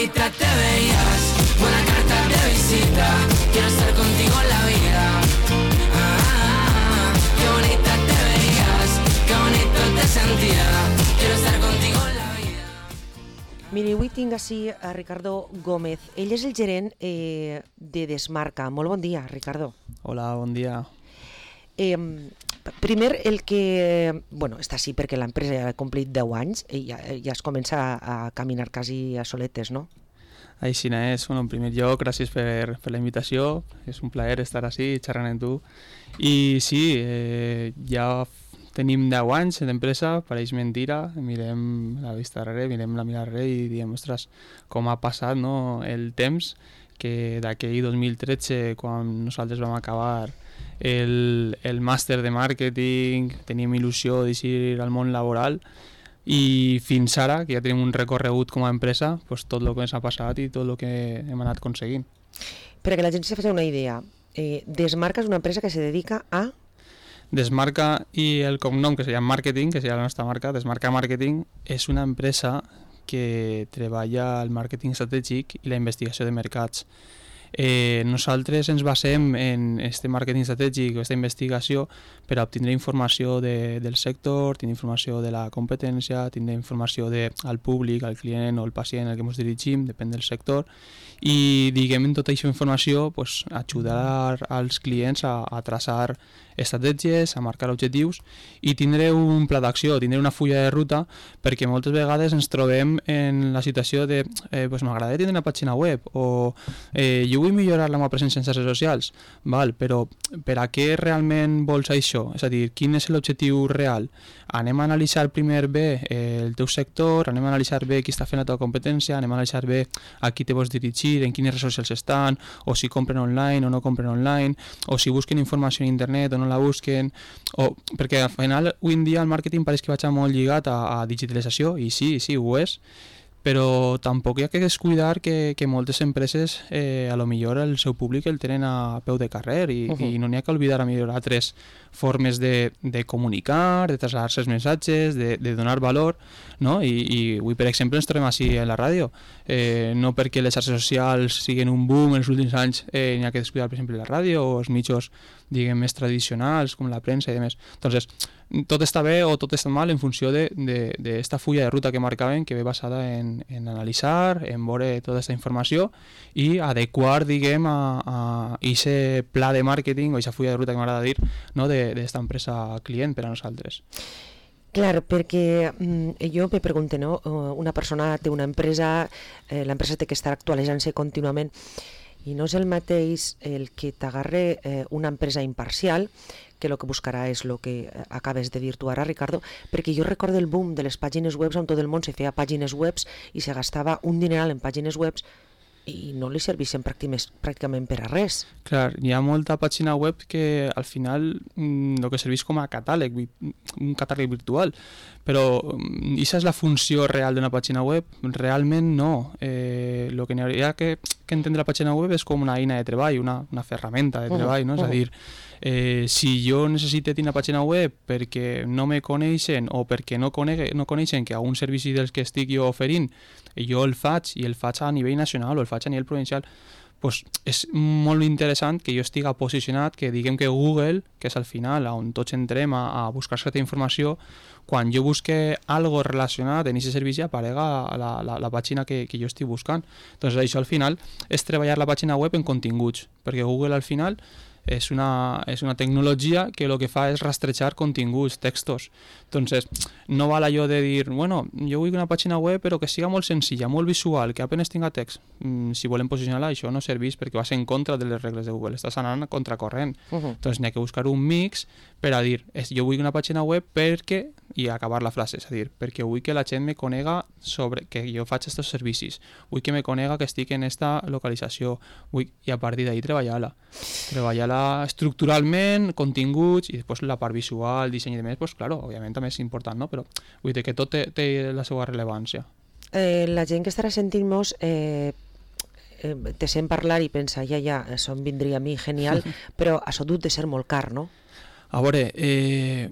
bonita te veías, buena carta de visita, quiero estar contigo en la vida. Qué bonita te veías, qué bonito te sentía, quiero estar contigo en la vida. Miri, avui tinc així a Ricardo Gómez. Ell és el gerent de Desmarca. Molt bon dia, Ricardo. Hola, bon dia. Primer, el que... Bueno, està així perquè l'empresa ja ha complit 10 anys i ja es comença a caminar quasi a soletes, no? Així és. Bueno, en primer lloc, gràcies per la invitació. És un plaer estar així xerrant amb tu. I sí, ja tenim 10 anys d'empresa, pareix mentira. Mirem la vista darrere, mirem la mirada darrere i diem, ostres, com ha passat, no, el temps, que d'aquell 2013, quan nosaltres vam acabar el màster de màrqueting, teníem il·lusió d'eixir al món laboral i fins ara, que ja tenim un recorregut com a empresa, pues, tot el que ens ha passat i tot el que hem anat aconseguint. Perquè la gent se faci una idea, Desmarca és una empresa que se dedica a... Desmarca i el cognom, que seria Marketing, que seria la nostra marca, Desmarca Marketing, és una empresa que treballa el màrqueting estratègic i la investigació de mercats. Nosaltres ens basem en aquest màrqueting estratègic, aquesta investigació, per a obtindre informació del sector, tindre informació de la competència, tindre informació al públic, al client o al pacient al que ens dirigim, depèn del sector, i diguem en tota aquesta informació pues, ajudar als clients a traçar estratègies, a marcar objectius i tindre un pla d'acció, tindre una fulla de ruta, perquè moltes vegades ens trobem en la situació de pues, m'agradaria tindre una pàgina web o jo vull millorar la meva presència en xarxes socials, val, però per a què realment vols això? És a dir, quin és l'objectiu real? Anem a analitzar primer bé el teu sector, anem a analitzar bé qui està fent la teva competència, anem a analitzar bé a qui te vols dirigir, en quines redes socials estan, o si compren online o no compren online, o si busquen informació en internet o no la busquen, perquè al final avui en dia el màrqueting pareix que vaig molt lligat a digitalització, i sí, ho és, però tampoc hi ha que descuidar que moltes empreses a lo millor el seu públic el tenen a peu de carrer i no n'hi ha que oblidar a millorar altres formes de comunicar, de traslladar-se els missatges, de donar valor, no? I avui, per exemple, ens trobem així a la ràdio. No perquè les xarxes socials siguin un boom en els últims anys n'hi ha que descuidar, per exemple, la ràdio o els mitjos, diguem, més tradicionals, com la premsa i demés. Entonces, tot està bé o tot està mal en funció d'esta fulla de ruta que marcaven, que ve basada en analitzar, en veure tota aquesta informació i adequar, diguem, a aquest pla de màrqueting o aquesta fulla de ruta que m'agrada dir, no, d'esta empresa client per a nosaltres. Clar, perquè jo me pregunto, no? Una persona té una empresa, l'empresa té que estar actualitzant-se contínuament, i no és el mateix el que t'agarre una empresa imparcial que el que buscarà és el que acabes de dir tu ara, Ricardo, perquè jo recordo el boom de les pàgines web on tot el món se feia pàgines web i se gastava un dineral en pàgines web i no li servixen pràcticament per a res. Clar, hi ha molta pàgina web que al final el que serveix com a catàleg, un catàleg virtual, però aquesta és la funció real d'una pàgina web? Realment no. El que n'hi hauria que entendre la pàgina web és com una eina de treball, una ferramenta de treball, no? És a dir, si jo necessito tenir una pàgina web perquè no me coneixen o perquè no coneixen que algun servici dels que estic jo oferint jo el faig i el faig a nivell nacional o el faig a nivell provincial, pues és molt interessant que jo estigui posicionat, que diguem que Google, que és al final on tots entrem a buscar certa informació, quan jo busque algo relacionat en aquest servici aparega la pàgina que jo estic buscant. Doncs això al final és treballar la pàgina web en continguts, perquè Google al final és una tecnologia que el que fa és rastrejar continguts, textos. Entonces, no val allò de dir, bueno, jo vull una pàgina web però que siga molt senzilla, molt visual, que apenas tinga text. Si volem posicionar-la, això no serveix perquè vas en contra de les regles de Google, estàs anant a contracorrent. Entonces, n'hi ha que buscar un mix per a dir, jo vull una pàgina web perquè, i acabar la frase, és a dir, perquè vull que la gent me conega sobre que jo faig aquests servicis, vull que me conega que estic en esta localització, i a partir d'ahí treballar-la estructuralment, continguts, i després la part visual, disseny i demés, pues claro, òbviament també és important, no? Però vull dir que tot té la seva rellevància. La gent que estarà sentint-nos te sent parlar i pensa, ja, això em vindria a mi genial, però això dut de ser molt car, no? A veure,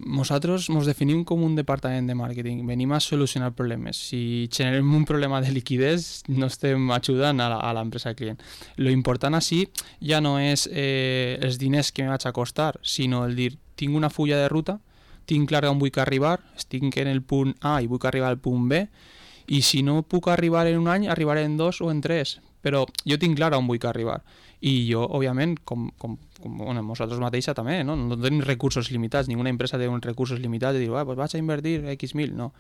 nosaltres ens definim com un departament de màrqueting, venim a solucionar problemes. Si generem un problema de liquidez, no estem ajudant a l'empresa client. Lo important així ja no és els diners que me vaig a costar, sinó el dir, tinc una fulla de ruta, tinc clar on vull arribar, estic en el punt A i vull arribar al punt B, i si no puc arribar en un any, arribaré en 2 o en 3, però jo tinc clar on vull arribar. I jo, òbviament, com bueno, nosaltres mateixa també, no tenim recursos limitats, ninguna empresa té uns recursos limitats de dir, pues vaig a invertir X mil, no.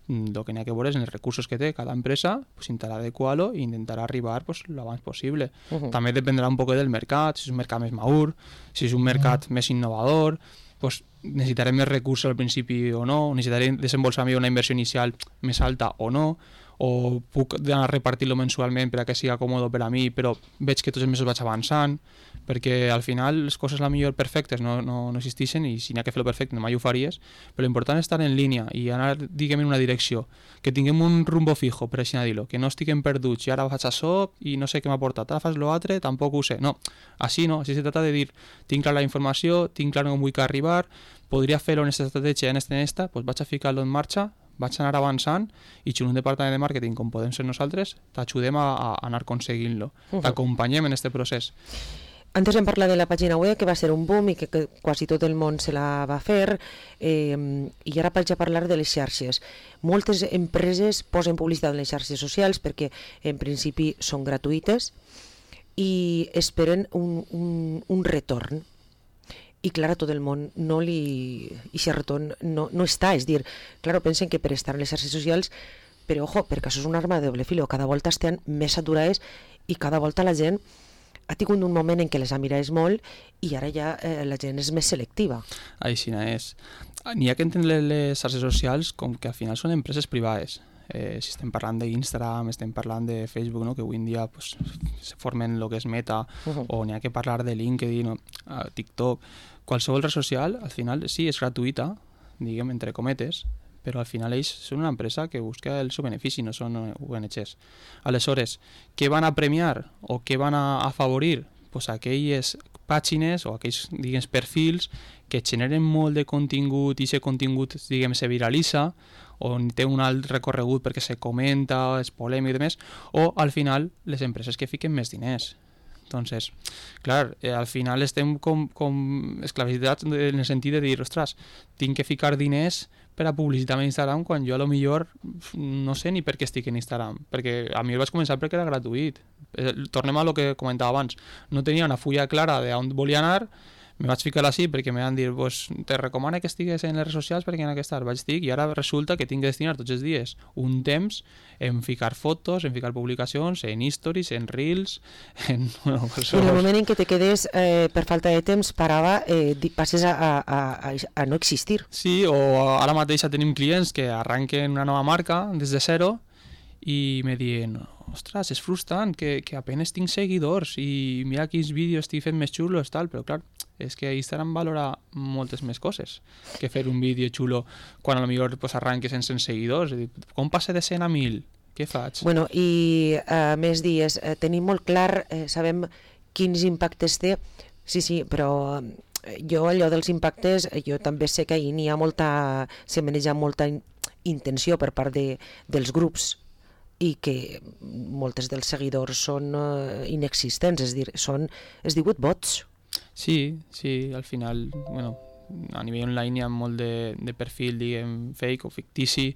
El que n'hi ha que veure és en els recursos que té cada empresa, pues, intentar adequar-lo i intentar arribar pues, lo abans possible. També dependrà un poc del mercat, si és un mercat més madur, si és un mercat més innovador, pues, necessitarem més recursos al principi o no, necessitarem desembolsar una inversió inicial més alta o no, o puc anar a repartir-lo mensualment per a que sigui còmode per a mi, però veig que tots els mesos vaig avançant, perquè al final les coses la millor perfectes no existeixen i si n'hi ha que fer-lo perfecte mai ho faries, però l'important és estar en línia i anar, diguem, en una direcció, que tinguem un rumbo fijo, per així dir-ho, que no estiguem perduts i ara faig això i no sé què m'ha portat, ara fas l'altre, tampoc ho sé. No, així no, així se trata de dir, tinc clar la informació, tinc clar on vull arribar, podria fer-ho en aquesta estratègia, en esta, doncs vaig a ficar-lo en marxa, vaig anar avançant i si un departament de màrqueting com podem ser nosaltres, t'ajudem a anar aconseguint-lo, t'acompanyem en aquest procés. Antes hem parlat de la pàgina web, que va ser un boom i que quasi tot el món se la va fer, i ara vaig a parlar de les xarxes. Moltes empreses posen publicitat en les xarxes socials perquè en principi són gratuïtes i esperen un retorn. I clar, a tot el món i aquest retorn no està, és dir, clar, pensen que per estar en les xarxes socials, però ojo, perquè això és una arma de doble filo, cada volta estan més saturades i cada volta la gent ha tingut un moment en què les ha mirat molt i ara ja la gent és més selectiva. Així és. N'hi ha que entendre les xarxes socials com que al final són empreses privades. Si estem parlant d'Instagram, estem parlant de Facebook, no? Que avui en dia pues, se formen el que és Meta, o n'hi ha que parlar de LinkedIn, o TikTok, qualsevol red social, al final sí, és gratuïta, diguem, entre cometes, però al final ells són una empresa que busca el seu benefici, no són ONGs. Aleshores, què van a premiar o què van a afavorir? Pues aquelles pàgines o aquells, diguem, perfils que generen molt de contingut i aquest contingut, diguem, se viralitza o té un alt recorregut perquè se comenta, és polèmic i demés, o al final les empreses que fiquen més diners. Entonces, clar, al final estem com esclavitzats en el sentit de dir, ostres, tinc que ficar diners per a publicitar en Instagram quan jo a lo millor no sé ni per què estic en Instagram, perquè a mi el vaig començar perquè era gratuït. Tornem a lo que comentava abans, no tenia una fulla clara d'on volia anar, me vaig ficar així perquè me van dir pues, te recomano que estigues en les redes socials perquè en aquesta vaig estic i ara resulta que tinc que destinar tots els dies un temps en ficar fotos, en ficar publicacions, en stories, en reels, en... Bueno, en el moment en què te quedes per falta de temps parava, passes a no existir. Sí, o ara mateix tenim clients que arranquen una nova marca des de zero i me diuen, ostres, és frustrant que apenas tinc seguidors i mira quins vídeos estic fent més xulos, tal, però clar, és que Instagram valora moltes més coses que fer un vídeo xulo quan potser pues, arranques en 100 seguidors. Com passa de 100 a 1.000? Què faig? Bueno, i més dies, tenim molt clar, sabem quins impactes té, sí, però jo allò dels impactes, jo també sé que ahir n'hi ha se maneja molta intenció per part dels grups i que moltes dels seguidors són inexistents, és a dir, són 18 bots. Sí, al final, bueno, a nivell online hi ha molt de perfil, diguem, fake o fictici,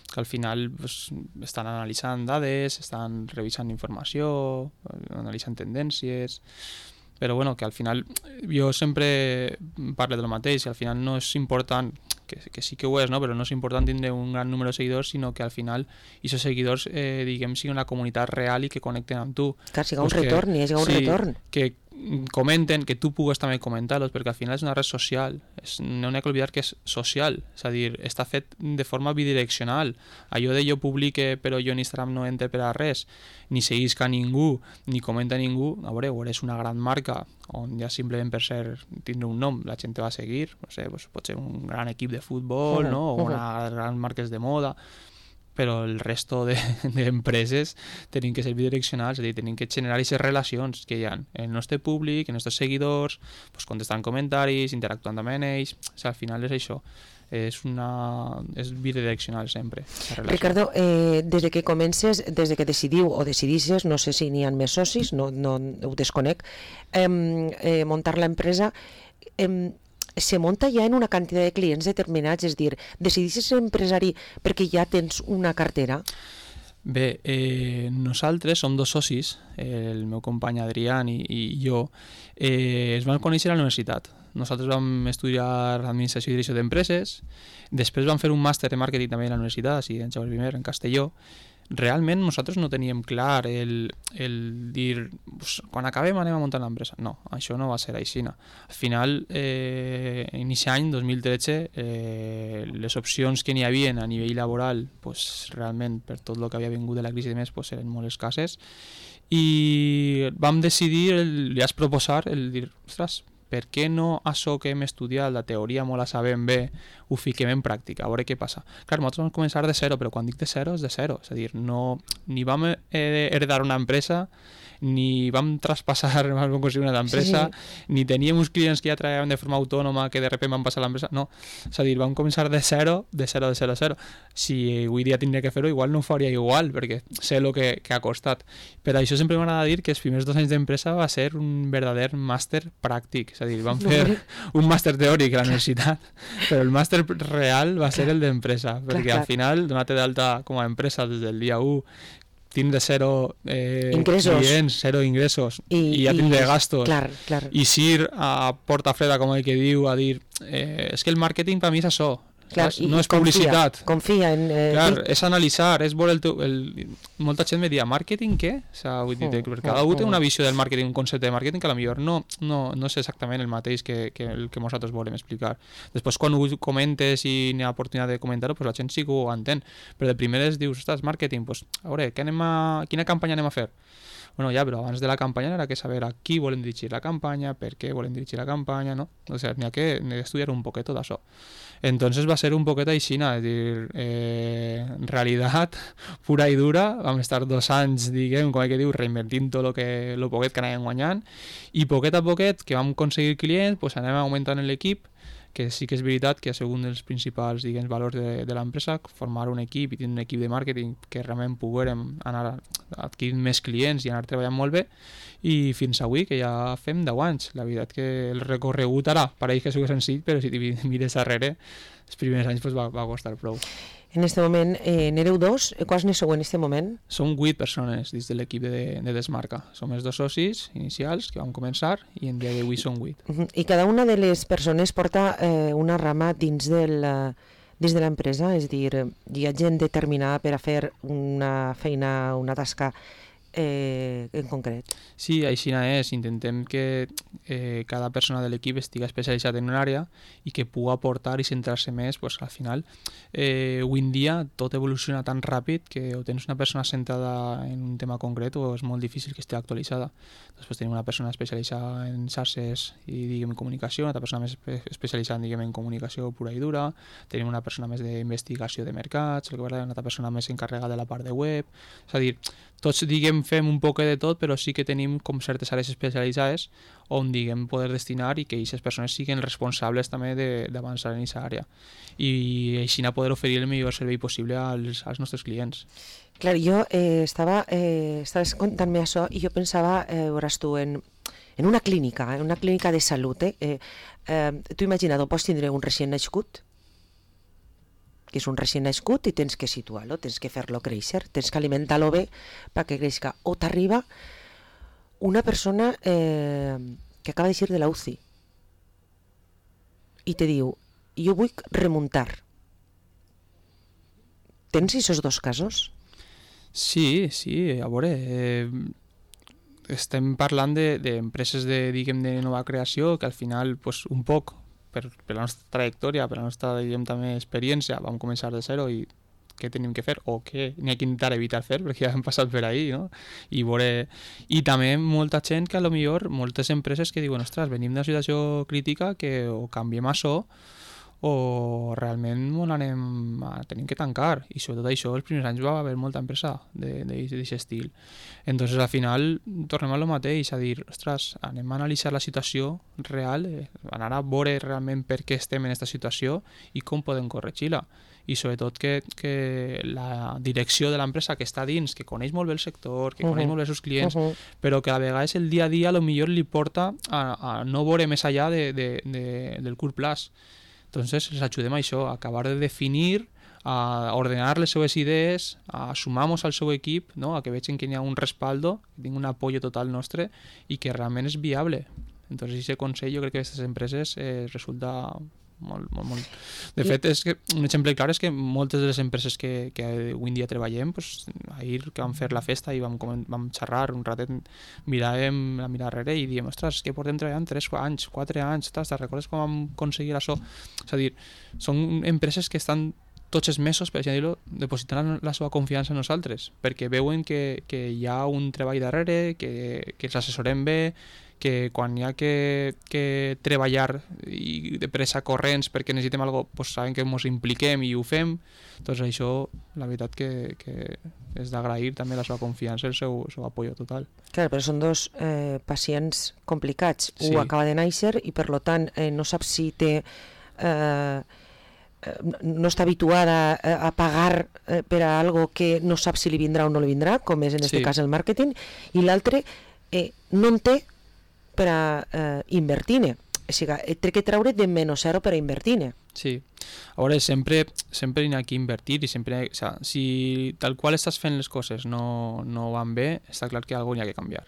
que al final pues, estan analitzant dades, estan revisant informació, analitzant tendències, però bueno, que al final jo sempre parlo del mateix, al final no és important, que sí que ho és, no? Però no és important tindre un gran número de seguidors, sinó que al final aquests seguidors, diguem, siguin una comunitat real i que connecten amb tu. Clar, siga un retorn, hi ha un retorn. Que comenten, que tu pugues també comentar-los, perquè al final és una red social, no n'hi ha que oblidar que és social, és a dir, està fet de forma bidireccional. Allò de jo publique però jo en Instagram no entre per a res, ni seguisca ningú, ni comenta ningú, a veure, és una gran marca on ja simplement per tindre un nom la gent te va a seguir, no sé, pot ser un gran equip de futbol, no? O unes grans marques de moda, però el resto d'empreses tenen que ser bidireccionals, és a dir, tenen que generar aquestes relacions que hi ha en el nostre públic, en els nostres seguidors, pues, contestant comentaris, interactuant amb ells, o sigui, al final és això. És bidireccional sempre. Ricardo, des de que comences, des de que decidiu o decidisses, no sé si n'hi ha més socis, no ho desconec, muntar l'empresa, se munta ja en una quantitat de clients determinats, és a dir, decidisses ser empresari perquè ja tens una cartera? Bé, nosaltres som dos socis, el meu company Adrián i jo, es vam conèixer a la universitat. Nosaltres vam estudiar Administració i Direcció d'Empreses, després vam fer un màster de màrqueting també a la universitat, així en Jaume I, en Castelló. Realment nosaltres no teníem clar el dir quan acabem anem a muntar l'empresa. No, això no va ser així. Al final, inici any 2013, les opcions que n'hi havia a nivell laboral, pues, realment per tot el que havia vingut de la crisi i més, pues, eren molt escasses, i vam decidir, li has proposar el dir, ostres, per què no això que hem estudiat, la teoria molt la sabem bé, ho fiquem en pràctica, a veure què passa. Clar, nosaltres vam començar de zero, però quan dic de zero és de zero, és a dir, no, ni vam heredar una empresa, ni vam traspassar, vam construir una empresa, ni teníem uns clients que ja treballaven de forma autònoma que de sobte van passar a l'empresa, no, és a dir, vam començar de zero. Si avui dia tindria que fer-ho, igual no ho faria igual, perquè sé el que ha costat. Per això sempre m'agrada dir que els primers 2 anys d'empresa va ser un verdader màster pràctic, és a dir, vam fer un màster teòric a la universitat, però el màster real va ser el d'empresa, perquè al final, donar-te d'alta com a empresa des del dia 1, tindre zero clients, zero ingressos i ja tindre gastos, i ir a porta freda, com el que diu, a dir és que el màrqueting per mi és això, no és publicitat. Confia en... És analitzar, és veure molta gent me dia, màrqueting què? Vull dir, perquè cada un té una visió del màrqueting, un concepte de màrqueting que potser no és exactament el mateix que el que nosaltres volem explicar. Després, quan ho comentes i n'hi ha oportunitat de comentar-ho, la gent sí que ho entén, però de primeres dius, ostres, màrqueting, a veure, quina campanya anem a fer? Bueno, ja, però abans de la campanya era que saber a qui volem dirigir la campanya, per què volem dirigir la campanya, no? O sigui, n'hi ha que estudiar un poquet tot això. Entonces va ser un poquet aixina, és dir, realitat pura i dura, vam estar 2 anys, diguem, com que diu, reinvertint tot el poquet que anàvem guanyant, i poquet a poquet que vam aconseguir clients, pues anem augmentant l'equip, que sí que és veritat que ha sigut un dels principals, diguem, valors de l'empresa, formar un equip i tenir un equip de màrqueting que realment poguérem anar adquirint més clients i anar treballant molt bé, i fins avui, que ja fem 10 anys. La veritat que el recorregut ara pareix que és senzill, però si t'hi mires darrere, els primers anys va costar prou. En aquest moment n'éreu 2, quants ne sou en aquest moment? Som 8 persones dins de l'equip de Desmarca. Som els 2 socis inicials que vam començar i en dia d'avui som 8. I cada una de les persones porta una rama dins de l'empresa, és a dir, hi ha gent determinada per a fer una feina, una tasca en concret. Sí, així és. Intentem que cada persona de l'equip estigui especialitzat en una àrea i que pugui aportar i centrar-se més, pues, al final. Avui en dia tot evoluciona tan ràpid que o tens una persona centrada en un tema concret o és molt difícil que estigui actualitzada. Després tenim una persona especialitzada en xarxes i, diguem, en comunicació, una altra persona més especialitzada, diguem, en comunicació pura i dura, tenim una persona més d'investigació de mercats, una altra persona més encarregada de la part de web, és a dir, tots, diguem, fem un poc de tot, però sí que tenim com certes àrees especialitzades on, diguem, poder destinar i que aquestes persones siguin responsables també d'avançar en aquesta àrea i així poder oferir el millor servei possible als nostres clients. Clar, jo estaves contant-me això i jo pensava, veuràs tu, en una clínica de salut. Tu imagina't, pots tindre un recient nascut, que és un recient nascut i tens que situar-lo, tens que fer-lo créixer, tens que alimentar-lo bé perquè creixi. O t'arriba una persona que acaba d'eixir de la UCI i te diu, jo vull remuntar. Tens aquests 2 casos? Sí, a veure, estem parlant d'empreses de nova creació que al final, pues, un poc, per la nostra trajectòria, per la nostra, diguem, també experiència, vam començar de zero i què tenim que fer o què n'hi ha que intentar evitar fer perquè ja hem passat per ahí, no? I també molta gent que potser moltes empreses que diuen, ostres, venim d'una situació crítica que o canviem això o realment tenim que tancar, i sobretot això els primers anys va haver molta empresa d'aquest estil. Entonces al final tornem a lo mateix, a dir, ostres, anem a analitzar la situació real, anar a veure realment per què estem en aquesta situació i com podem corregir-la, i sobretot que la direcció de l'empresa que està dins, que coneix molt bé el sector, que coneix molt bé els seus clients, però que a vegades el dia a dia potser li porta a no veure més allà del curt plaç. Entonces les ajudem a això, a acabar de definir, a ordenar les seves idees, a sumar-nos al seu equip, no? A que vegin que hi ha un respaldo, que tingui un apoyo total nostre i que realment és viable. Entonces aquest consell jo crec que a aquestes empreses resulta molt. De fet, és que un exemple clar és que moltes de les empreses que avui en dia treballem, pues, ahir que vam fer la festa i vam xerrar un ratet, miràvem a mirar darrere i diem, ostres, que portem treballant 3 anys, 4 anys, te'n recordes com vam aconseguir això? És a dir, són empreses que estan tots els mesos, per dir-ho, depositant la seva confiança en nosaltres, perquè veuen que hi ha un treball darrere, que els assessorem bé, que quan hi ha que treballar i de pressa corrents perquè necessitem alguna cosa, pues saben que ens impliquem i ho fem. Doncs això, la veritat que és d'agrair també la seva confiança i el seu apoyo total. Clar, però són dos pacients complicats. Sí. Un acaba de néixer i per tant no sap si té... no està habituada a pagar per a algo que no sap si li vindrà o no li vindrà, com és en aquest cas el màrqueting, i l'altre no en té per a invertir-ne. O sigui, té que treure de menys 0 per a invertir-ne. Sí. A veure, sempre hi ha que invertir i sempre... O sigui, si tal qual estàs fent les coses no van bé, està clar que alguna hi ha que canviar.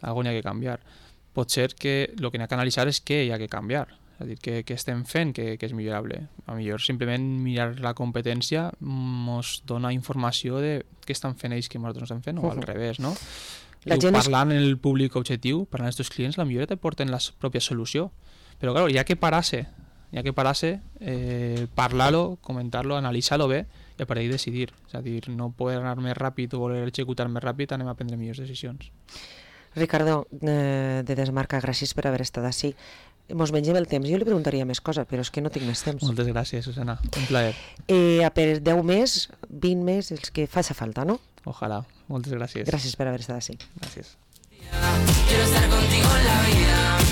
Alguna hi ha que canviar. Pot ser que el que hi ha que analitzar és què hi ha que canviar. És a dir, què estem fent que és millorable. A millor simplement mirar la competència ens dona informació de què estan fent ells que nosaltres no estem fent, o al revés, no? Parlant en el públic objectiu, parlant als teus clients, la millor te porten la pròpia solució. Però clar, hi ha que parar-se, parlar-lo, comentar-lo, analitzar-lo bé i a partir decidir. És a dir, no poder anar més ràpid o voler executar més ràpid, anem a prendre millors decisions. Ricardo, de Desmarca, gràcies per haver estat així. Mos mengem el temps. Jo li preguntaria més coses, però és que no tinc més temps. Moltes gràcies, Susana. Un plaer. Per 10 més, 20 més, els que faci falta, no? Ojalá. Moltes gràcies. Gràcies per haver estat així. Gràcies. Quiero estar contigo en la vida.